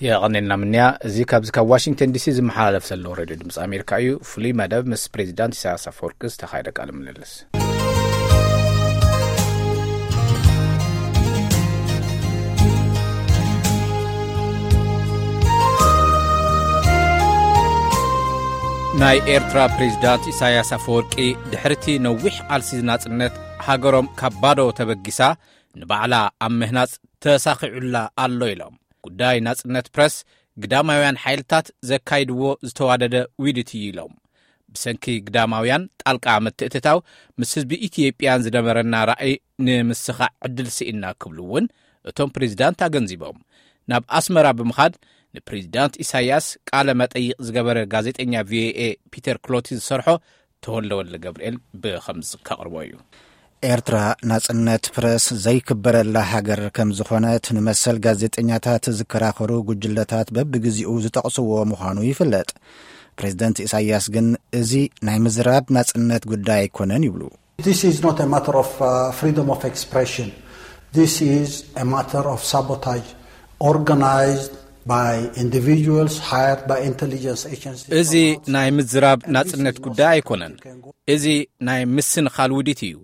የቐኔልና ምንያ። እዚ ካብዚ ካብ ዋሽንግተን ዲሲ ዝመሓላለፍ ዘሎ ሬድዮ ድምፂ ኣሜሪካ እዩ። ፍሉይ መደብ ምስ ፕሬዚዳንት ኢሳያስ ኣፈወርቂ ዝተኻየደ ቃለ ምልልስ። ናይ ኤርትራ ፕሬዚዳንት ኢሳያስ ኣፈወርቂ ድሕርቲ ነዊሕ ቃልሲ ናጽነት ሃገሮም ካብ ባዶ ተበጊሳ ንባዕላ ኣብ ምህናጽ ተሳኺዑላ ኣሎ ኢሎም። ጉዳይ ናጽነት ፕረስ ግዳማውያን ሓይልታት ዘካይድዎ ዝተዋደደ ውዲት እዩ ኢሎም። ብሰንኪ ግዳማውያን ጣልቃ ምትእትታው ምስ ህዝቢ ኢትዮጵያን ዝነበረና ራእይ ንምስኻዕ ዕድል ስኢና ክብሉ እውን እቶም ፕሬዚዳንት ኣገንዚቦም። ናብ ኣስመራ ብምኻድ ንፕሬዚዳንት ኢሳያስ ቃለ መጠይቕ ዝገበረ ጋዜጠኛ ቪኦኤ ፒተር ክሎቲ ዝሰርሖ ተወልደ ወልደ ገብርኤል ብኸምዚ ከቕርቦ እዩ። ኤርትራ ናጽነት ፕረስ ዘይክበረላ ሃገር ከም ዝኾነት ንመሰል ጋዜጠኛታት ዝከራኸሩ ጉጅለታት በብግዜኡ ዝጠቕስዎ ምዃኑ ይፍለጥ። ፕሬዚደንት ኢሳያስ ግን እዚ ናይ ምዝራብ ናጽነት ጉዳይ ኣይኮነን ይብሉ። This is not a matter of uh, freedom of expression. This is a matter of sabotage organized by individuals hired by intelligence agencies. እዚ ናይ ምዝራብ ናጽነት ጉዳይ ኣይኮነን። እዚ ናይ ምስንኻል ውዲት እዩ።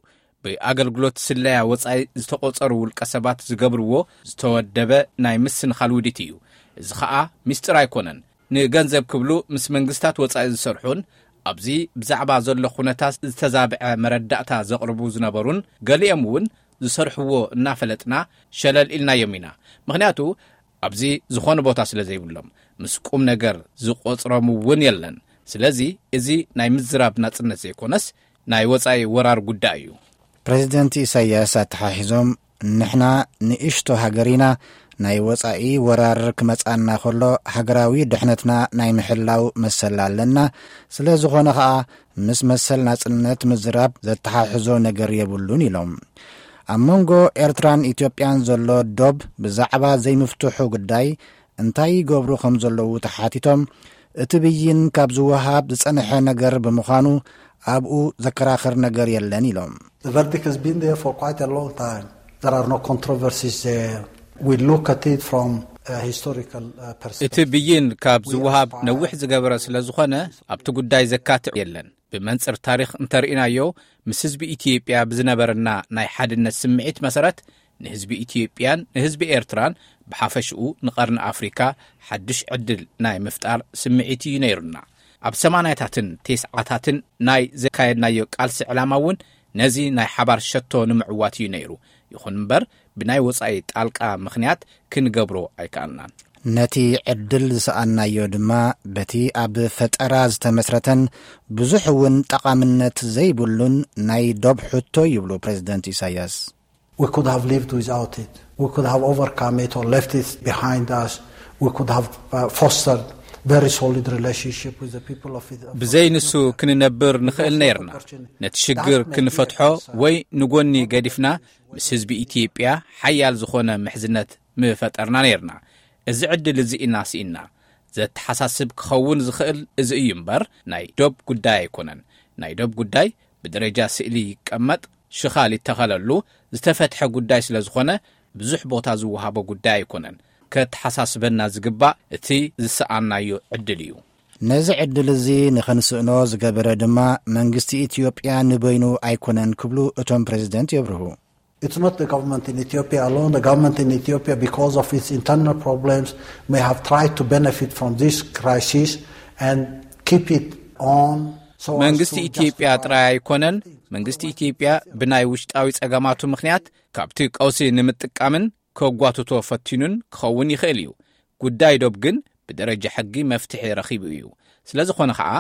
ብኣገልግሎት ስለያ ወጻኢ ዝተቖጸሩ ውልቀ ሰባት ዝገብርዎ ዝተወደበ ናይ ምስንኻል ውዲት እዩ። እዚ ኸኣ ምስጢር ኣይኮነን። ንገንዘብ ክብሉ ምስ መንግስታት ወጻኢ ዝሰርሑን ኣብዚ ብዛዕባ ዘሎ ኩነታት ዝተዛብዐ መረዳእታ ዘቕርቡ ዝነበሩን ገሊኦም እውን ዝሰርሕዎ እናፈለጥና ሸለል ኢልናዮም ኢና። ምኽንያቱ ኣብዚ ዝኾነ ቦታ ስለ ዘይብሎም ምስ ቁም ነገር ዝቖጽሮም እውን የለን። ስለዚ እዚ ናይ ምዝራብ ናጽነት ዘይኮነስ ናይ ወጻኢ ወራር ጉዳይ እዩ። ፕሬዚደንት ኢሳያስ ኣተሓሒዞም ንሕና ንእሽቶ ሃገር ኢና፣ ናይ ወጻኢ ወራር ክመጻና ከሎ ሃገራዊ ድሕነትና ናይ ምሕላው መሰል ኣለና። ስለ ዝኾነ ኸኣ ምስ መሰል ናጽነት ምዝራብ ዘተሓሕዞ ነገር የብሉን ኢሎም። ኣብ መንጎ ኤርትራን ኢትዮጵያን ዘሎ ዶብ ብዛዕባ ዘይምፍትሑ ጉዳይ እንታይ ይገብሩ ከም ዘለዉ ተሓቲቶም እቲ ብይን ካብ ዝወሃብ ዝጸንሐ ነገር ብምዃኑ ኣብኡ ዘከራኽር ነገር የለን ኢሎም። The verdict has been there for quite a long time. There are no controversies there. We look at it from a historical uh, perspective. እቲ ብይን ካብ ዝወሃብ ነዊሕ ዝገበረ ስለ ዝኾነ ኣብቲ ጉዳይ ዘካትዕ የለን። ብመንጽር ታሪኽ እንተርኢናዮ ምስ ህዝቢ ኢትዮጵያ ብዝነበረና ናይ ሓድነት ስምዒት መሰረት ንህዝቢ ኢትዮጵያን ንህዝቢ ኤርትራን ብሓፈሽኡ ንቐርኒ ኣፍሪካ ሓድሽ ዕድል ናይ ምፍጣር ስምዒት እዩ ነይሩና። ኣብ ሰማንያታትን ቴስዓታትን ናይ ዘካየድናዮ ቃልሲ ዕላማ እውን ነዚ ናይ ሓባር ሸቶ ንምዕዋት እዩ ነይሩ። ይኹን እምበር ብናይ ወጻኢ ጣልቃ ምኽንያት ክንገብሮ ኣይከኣልናን። ነቲ ዕድል ዝሰኣናዮ ድማ በቲ ኣብ ፈጠራ ዝተመስረተን ብዙሕ እውን ጠቓምነት ዘይብሉን ናይ ዶብ ሕቶ ይብሉ ፕሬዚደንት ኢሳያስ። We could have lived without it. We could have overcome it or left it behind us. We could have uh, fostered very solid relationship with the people of it. ብዘይ ንሱ ክንነብር ንኽእል ነይርና። ነቲ ሽግር ክንፈትሖ ወይ ንጎኒ ገዲፍና ምስ ህዝቢ ኢትዮጵያ ሓያል ዝኾነ ምሕዝነት ምፈጠርና ነይርና። እዚ ዕድል እዚ ኢና ስኢና። ዘተሓሳስብ ክኸውን ዝኽእል እዚ እዩ እምበር ናይ ዶብ ጉዳይ ኣይኮነን። ናይ ዶብ ጉዳይ ብደረጃ ስእሊ ይቀመጥ፣ ሽኻል ይተኸለሉ፣ ዝተፈትሐ ጉዳይ ስለ ዝኾነ ብዙሕ ቦታ ዝወሃቦ ጉዳይ ኣይኮነን። ከተሓሳስበና ዝግባእ እቲ ዝሰኣናዮ ዕድል እዩ። ነዚ ዕድል እዚ ንኽንስእኖ ዝገበረ ድማ መንግስቲ ኢትዮጵያ ንበይኑ ኣይኮነን ክብሉ እቶም ፕሬዚደንት የብርሁ። It's not the government in Ethiopia alone. The government in Ethiopia, because of its internal problems, may have tried to benefit from this crisis and keep it on. So as መንግስቲ to ኢትዮጵያ justify ጥራይ ኣይኮነን። መንግስቲ ኢትዮጵያ ብናይ ውሽጣዊ ጸገማቱ ምኽንያት ካብቲ ቀውሲ ንምጥቃምን ከጓትቶ ፈቲኑን ክኸውን ይኽእል እዩ። ጉዳይ ዶብ ግን ብደረጃ ሕጊ መፍትሒ ረኺቡ እዩ። ስለ ዝኾነ ኸኣ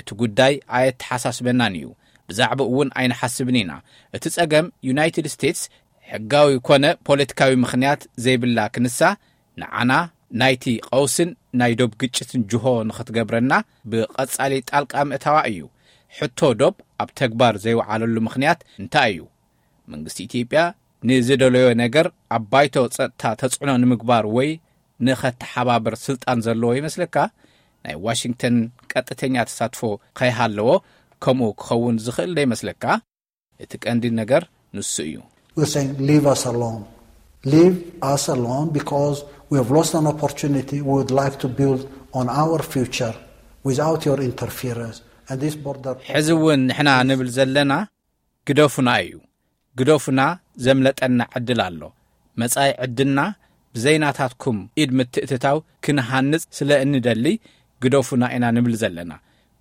እቲ ጉዳይ ኣየተሓሳስበናን እዩ። ብዛዕባኡ እውን ኣይንሓስብን ኢና። እቲ ጸገም ዩናይትድ ስቴትስ ሕጋዊ ኮነ ፖለቲካዊ ምኽንያት ዘይብላ ክንሳ ንዓና ናይቲ ቀውስን ናይ ዶብ ግጭትን ጅሆ ንኽትገብረና ብቐጻሊ ጣልቃ ምእታዋ እዩ። ሕቶ ዶብ ኣብ ተግባር ዘይወዓለሉ ምኽንያት እንታይ እዩ? መንግስቲ ኢትዮጵያ ንዝደለዮ ነገር ኣብ ባይቶ ጸጥታ ተጽዕኖ ንምግባር ወይ ንኸተሓባብር ስልጣን ዘለዎ ይመስለካ? ናይ ዋሽንግተን ቀጥተኛ ተሳትፎ ከይሃለዎ ከምኡ ክኸውን ዝኽእል ዶ ይመስለካ? እቲ ቀንዲ ነገር ንሱ እዩ። We're saying leave us alone. Leave us alone because We have lost an opportunity. We would like to build on our future without your interference. And this border ሕዚ እውን ንሕና ንብል ዘለና ግደፉና እዩ። ግደፉና፣ ዘምለጠና ዕድል ኣሎ። መጻኢ ዕድልና ብዘይናታትኩም ኢድ ምትእትታው ክንሃንጽ ስለ እንደሊ ግደፉና ኢና ንብል ዘለና።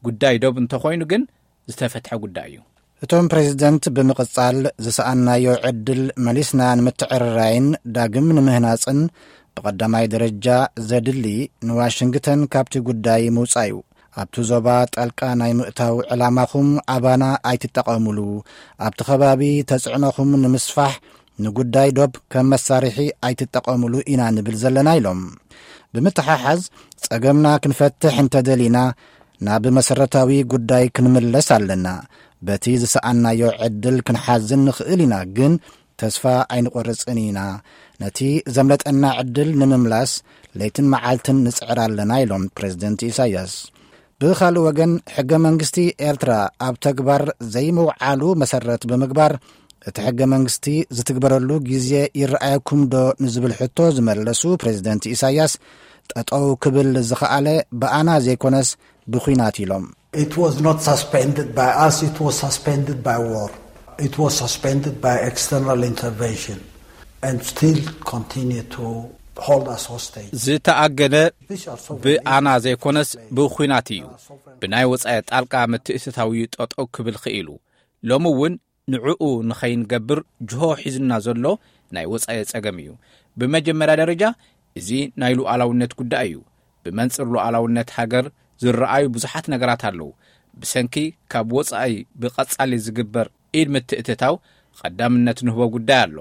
ጉዳይ ዶብ እንተኾይኑ ግን ዝተፈትሐ ጉዳይ እዩ። እቶም ፕሬዝደንት ብምቕጻል ዝሰኣናዮ ዕድል መሊስና ንምትዕርራይን ዳግም ንምህናጽን ብቐዳማይ ደረጃ ዘድሊ ንዋሽንግተን ካብቲ ጉዳይ ምውጻእ እዩ። ኣብቲ ዞባ ጣልቃ ናይ ምእታው ዕላማኹም ኣባና ኣይትጠቐሙሉ። ኣብቲ ከባቢ ተጽዕኖኹም ንምስፋሕ ንጉዳይ ዶብ ከም መሳርሒ ኣይትጠቐሙሉ ኢና ንብል ዘለና ኢሎም። ብምትሓሓዝ ጸገምና ክንፈትሕ እንተደሊና ናብ መሰረታዊ ጉዳይ ክንምለስ ኣለና። በቲ ዝሰኣናዮ ዕድል ክንሓዝን ንኽእል ኢና፣ ግን ተስፋ ኣይንቆርጽን ኢና። ነቲ ዘምለጠና ዕድል ንምምላስ ለይትን መዓልትን ንጽዕር ኣለና ኢሎም ፕሬዝደንት ኢሳያስ። ብኻልእ ወገን ሕገ መንግስቲ ኤርትራ ኣብ ተግባር ዘይምውዓሉ መሰረት ብምግባር እቲ ሕገ መንግስቲ ዝትግበረሉ ግዜ ይረኣየኩም ዶ ንዝብል ሕቶ ዝመለሱ ፕሬዝደንት ኢሳያስ ጠጠው ክብል ዝኸኣለ ብኣና ዘይኮነስ ብኹናት ኢሎም። It was not suspended by us, it was suspended by war. It was suspended by external intervention and still continue to hold us hostage. ዝተኣገደ ብኣና ዘይኮነስ ብኹናት እዩ። ብናይ ወጻኢ ጣልቃ ምትእትታው እዩ ጠጠው ክብል ክኢሉ። ሎሚ እውን ንዕኡ ንኸይንገብር ጅሆ ሒዙና ዘሎ ናይ ወጻኢ ጸገም እዩ። ብመጀመርያ ደረጃ እዚ ናይ ሉዓላውነት ጉዳይ እዩ። ብመንጽር ሉዓላውነት ሃገር ዝረኣዩ ብዙሓት ነገራት ኣለዉ። ብሰንኪ ካብ ወጻኢ ብቐጻሊ ዝግበር ኢድ ምትእትታው ቀዳምነት ንህቦ ጉዳይ ኣሎ።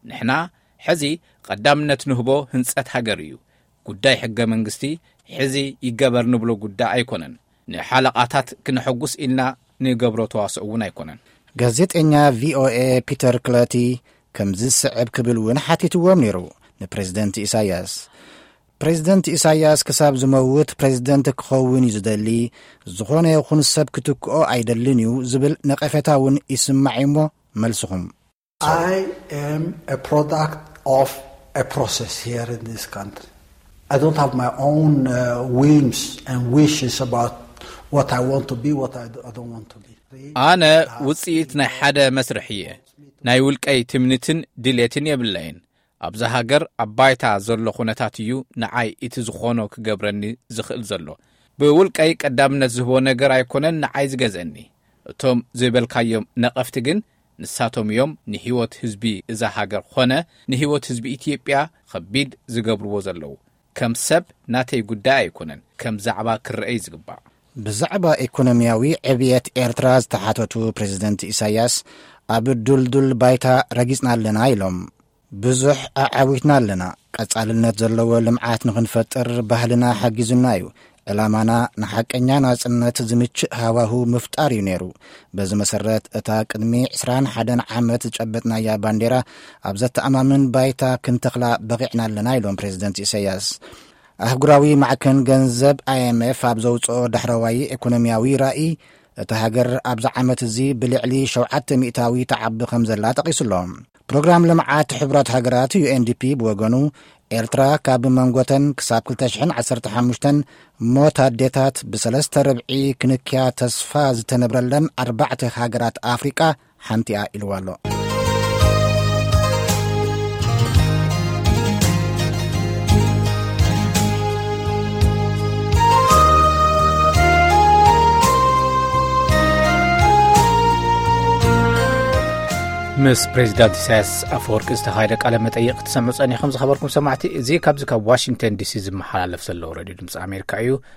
ንሕና ሕዚ ቀዳምነት ንህቦ ህንጸት ሃገር እዩ። ጉዳይ ሕገ መንግስቲ ሕዚ ይገበር ንብሎ ጉዳይ ኣይኮነን። ንሓለቓታት ክነሐጉስ ኢልና ንገብሮ ተዋስኦ እውን ኣይኮነን። ጋዜጠኛ ቪኦኤ ፒተር ክለቲ ከምዚ ዝስዕብ ክብል እውን ሓቲትዎም ነይሩ ንፕሬዝደንት ኢሳያስ። ፕሬዝደንት ኢሳያስ ክሳብ ዝመውት ፕሬዝደንት ክኸውን እዩ ዝደሊ፣ ዝኾነ ይኹን ሰብ ክትክኦ ኣይደልን እዩ ዝብል ነቐፌታ እውን ይስማዕ እዩሞ፣ መልስኹም? I am a product of a process here in this country. I don't have my own uh, whims and wishes about what I want to be, what I, I don't want to be. ኣነ ውጽኢት ናይ ሓደ መስርሕ እየ። ናይ ውልቀይ ትምኒትን ድሌትን የብለይን። ኣብዛ ሃገር ኣብ ባይታ ዘሎ ኩነታት እዩ ንዓይ እቲ ዝኾኖ ክገብረኒ ዝኽእል ዘሎ። ብውልቀይ ቀዳምነት ዝህቦ ነገር ኣይኮነን ንዓይ ዝገዝአኒ። እቶም ዝበልካዮም ነቐፍቲ ግን ንሳቶም እዮም ንህይወት ህዝቢ እዛ ሃገር ኾነ ንህይወት ህዝቢ ኢትዮጵያ ኸቢድ ዝገብርዎ ዘለዉ። ከም ሰብ ናተይ ጉዳይ ኣይኮነን፣ ከም ዛዕባ ክረአ እዩ ዝግባእ። ብዛዕባ ኢኮኖሚያዊ ዕብየት ኤርትራ ዝተሓተቱ ፕሬዝደንት ኢሳያስ፣ ኣብ ዱልዱል ባይታ ረጊጽና ኣለና ኢሎም። ብዙሕ ኣዓዊትና ኣለና። ቀጻልነት ዘለዎ ልምዓት ንኽንፈጥር ባህልና ሓጊዙና እዩ። ዕላማና ንሓቀኛ ናጽነት ዝምችእ ሃዋሁ ምፍጣር እዩ ነይሩ። በዚ መሰረት እታ ቅድሚ ዕስራን ሓደን ዓመት ዝጨበጥናያ ባንዴራ ኣብ ዘተኣማምን ባይታ ክንተኽላ በቒዕና ኣለና ኢሎም ፕሬዝደንት ኢሳያስ። ኣህጉራዊ ማዕከን ገንዘብ ኣይኤምኤፍ ኣብ ዘውጽኦ ዳሕረዋይ ኢኮኖሚያዊ ራእይ እታ ሃገር ኣብዚ ዓመት እዚ ብልዕሊ ሸውዓተ ሚእታዊ ትዓቢ ከም ዘላ ጠቒሱ ኣሎ። ፕሮግራም ልምዓት ሕቡራት ሃገራት ዩኤንዲፒ ብወገኑ ኤርትራ ካብ መንጎተን ክሳብ ክልተ ሽሕን ዓሰርተ ሓሙሽተን ሞት ኣዴታት ብሰለስተ ርብዒ ክንክያ ተስፋ ዝተነብረለን ኣርባዕተ ሃገራት ኣፍሪቃ ሓንቲ እያ ኢልዋ ኣሎ። ምስ ፕሬዚዳንት ኢሳያስ ኣፈወርቂ ዝተኻየደ ቃለ መጠይቕ ክትሰምዑ ጸኒኹም ዝኸበርኩም ሰማዕቲ። እዚ ካብዚ ካብ ዋሽንግተን ዲሲ ዝመሓላለፍ ዘሎ ሬድዮ ድምፂ ኣሜሪካ እዩ።